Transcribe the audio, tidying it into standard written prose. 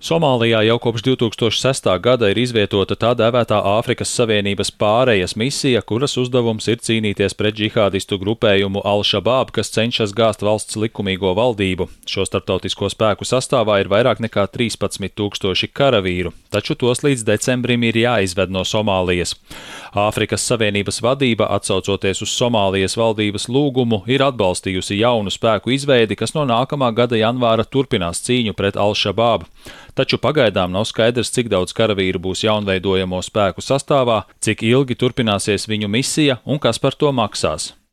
Somālijā jau kopš 2006. gada ir izvietota tā dēvētā Āfrikas Savienības pārejas misija, kuras uzdevums ir cīnīties pret džihādistu grupējumu Al-Shabaab, kas cenšas gāzt valsts likumīgo valdību. Šo starptautisko spēku sastāvā ir vairāk nekā 13,000 karavīru, taču tos līdz decembrim ir jāizved no Somālijas. Āfrikas Savienības vadība, atsaucoties uz Somālijas valdības lūgumu, ir atbalstījusi jaunu spēku izveidi, kas no nākamā gada janvāra turpinās cīņu pret Al-Shabaab. Taču pagaidām nav skaidrs, cik daudz karavīru būs jaunveidojamo spēku sastāvā, cik ilgi turpināsies viņu misija un kas par to maksās.